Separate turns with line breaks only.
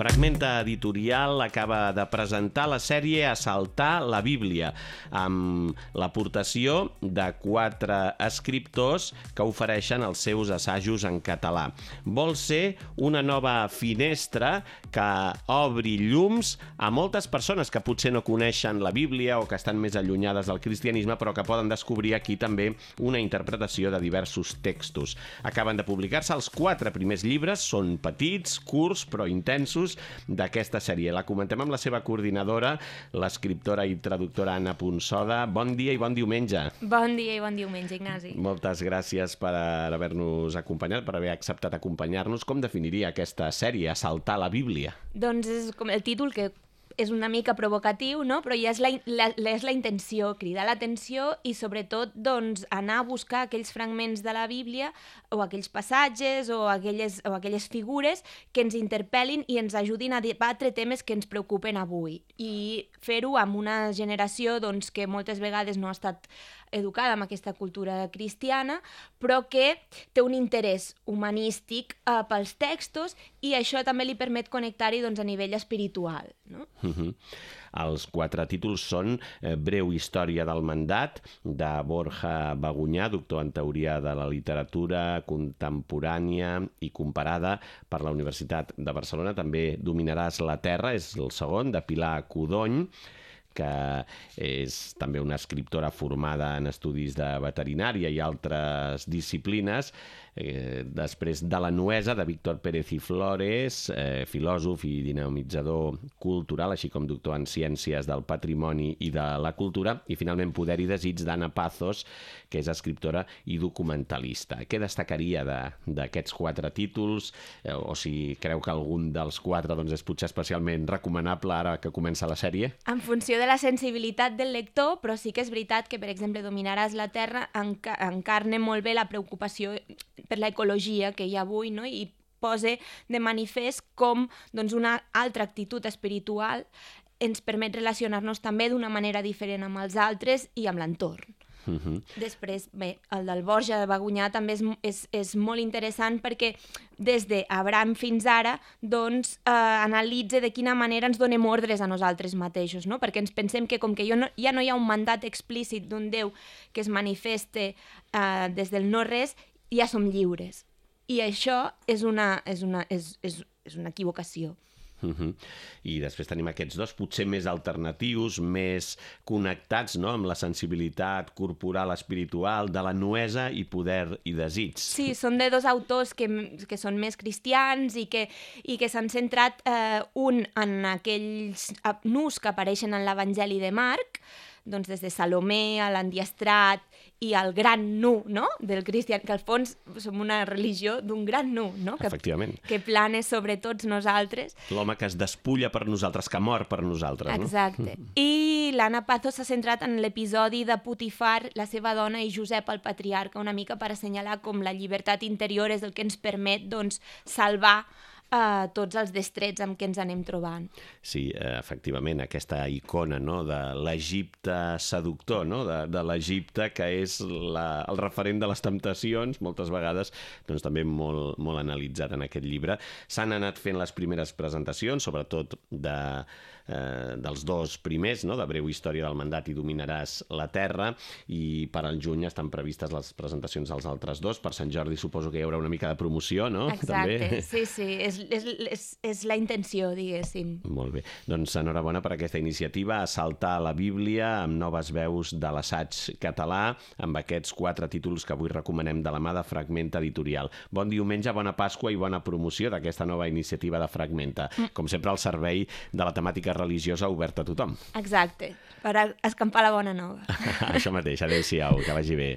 Fragmenta Editorial acaba de presentar la sèrie Assaltar la Bíblia, amb l'aportació de 4 escriptors que ofereixen els seus assajos en català. Vol ser una nova finestra que obri llums a moltes persones que potser no coneixen la Bíblia o que estan més allunyades del cristianisme, però que poden descobrir aquí també una interpretació de diversos textos. Acaben de publicar-se els 4 primers llibres, són petits, curts, però intensos, d'aquesta sèrie. La comentem amb la seva coordinadora, l'escriptora i traductora Anna Punsoda. Bon dia i bon diumenge.
Bon dia i bon diumenge, Ignasi.
Moltes gràcies per haver-nos acompanyat, per haver acceptat acompanyar-nos. Com definiria aquesta sèrie, Assaltar la Bíblia?
Doncs és com el títol, que és una mica provocatiu, no? Però ja és la intenció, cridar l'atenció i sobretot doncs, anar a buscar aquells fragments de la Bíblia o aquells passatges o aquelles figures que ens interpel·lin i ens ajudin a debatre temes que ens preocupen avui. I fer-ho amb una generació doncs, que moltes vegades no ha estat educada amb aquesta cultura cristiana, però que té un interès humanístic pels textos i això també li permet connectar-hi doncs, a nivell espiritual. No?
Els 4 títols són Breu història del mandat, de Borja Bagunyà, doctor en teoria de la literatura contemporània i comparada per la Universitat de Barcelona. També Dominaràs la terra, és el segon, de Pilar Codony, que és també una escriptora formada en estudis de veterinària i altres disciplines. Després de La nuesa, de Víctor Pérez i Flores, filòsof i dinamitzador cultural, així com doctor en ciències del patrimoni i de la cultura. I finalment Poder i desig, d'Anna Pazos, que és escriptora i documentalista. Què destacaria d'aquests 4 títols? O si creu que algun dels 4 doncs, és potser especialment recomanable ara que comença la sèrie?
En funció de la sensibilitat del lector, però sí que és veritat que, per exemple, Dominaràs la terra encarna molt bé la preocupació per l'ecologia que hi ha avui, no? I posa de manifest com doncs, una altra actitud espiritual ens permet relacionar-nos també d'una manera diferent amb els altres i amb l'entorn. Després, bé, el del Borja de Bagunyà també és molt interessant perquè des d'Abraham fins ara doncs, analitza de quina manera ens donem ordres a nosaltres mateixos, no? Perquè ens pensem que com que ja no hi ha un mandat explícit d'un Déu que es manifeste des del no-res, ja som lliures. I això és una equivocació.
I després tenim aquests 2 potser més alternatius, més connectats, no?, amb la sensibilitat corporal, espiritual, de La nuesa i Poder i desig.
Sí, són de 2 autors que són més cristians i que s'han centrat un en aquells nus que apareixen en l'Evangeli de Marc, doncs des de Salomé a l'Endiestrat i al gran nu, no?, del cristian, que al fons som una religió d'un gran nu, no?,
Efectivament.
Que plana sobre tots nosaltres.
L'home que es despulla per nosaltres, que mor per nosaltres.
Exacte. No? I l'Anna Pazos s'ha centrat en l'episodi de Potifar, la seva dona, i Josep, el patriarca, una mica per assenyalar com la llibertat interior és el que ens permet doncs, salvar tots els destrets amb què ens anem trobant.
Sí, efectivament, aquesta icona, no?, de l'Egipte seductor, no?, de l'Egipte que és el referent de les temptacions, moltes vegades doncs, també molt, molt analitzat en aquest llibre. S'han anat fent les primeres presentacions, sobretot dels 2 primers, no?, de Breu història del mandat i Dominaràs la terra, i per al juny estan previstes les presentacions dels altres 2. Per Sant Jordi suposo que hi haurà una mica de promoció, no?
Exacte,
també.
Sí, és la intenció, diguéssim.
Molt bé, doncs enhorabona per aquesta iniciativa, Assaltar la Bíblia, amb noves veus de l'assaig català, amb aquests 4 títols que avui recomanem de la mà de Fragmenta Editorial. Bon diumenge, bona Pasqua i bona promoció d'aquesta nova iniciativa de Fragmenta. Com sempre, al servei de la temàtica religiosa oberta a tothom.
Exacte, per escampar la bona nova.
Això mateix, adéu-siau, que vagi bé.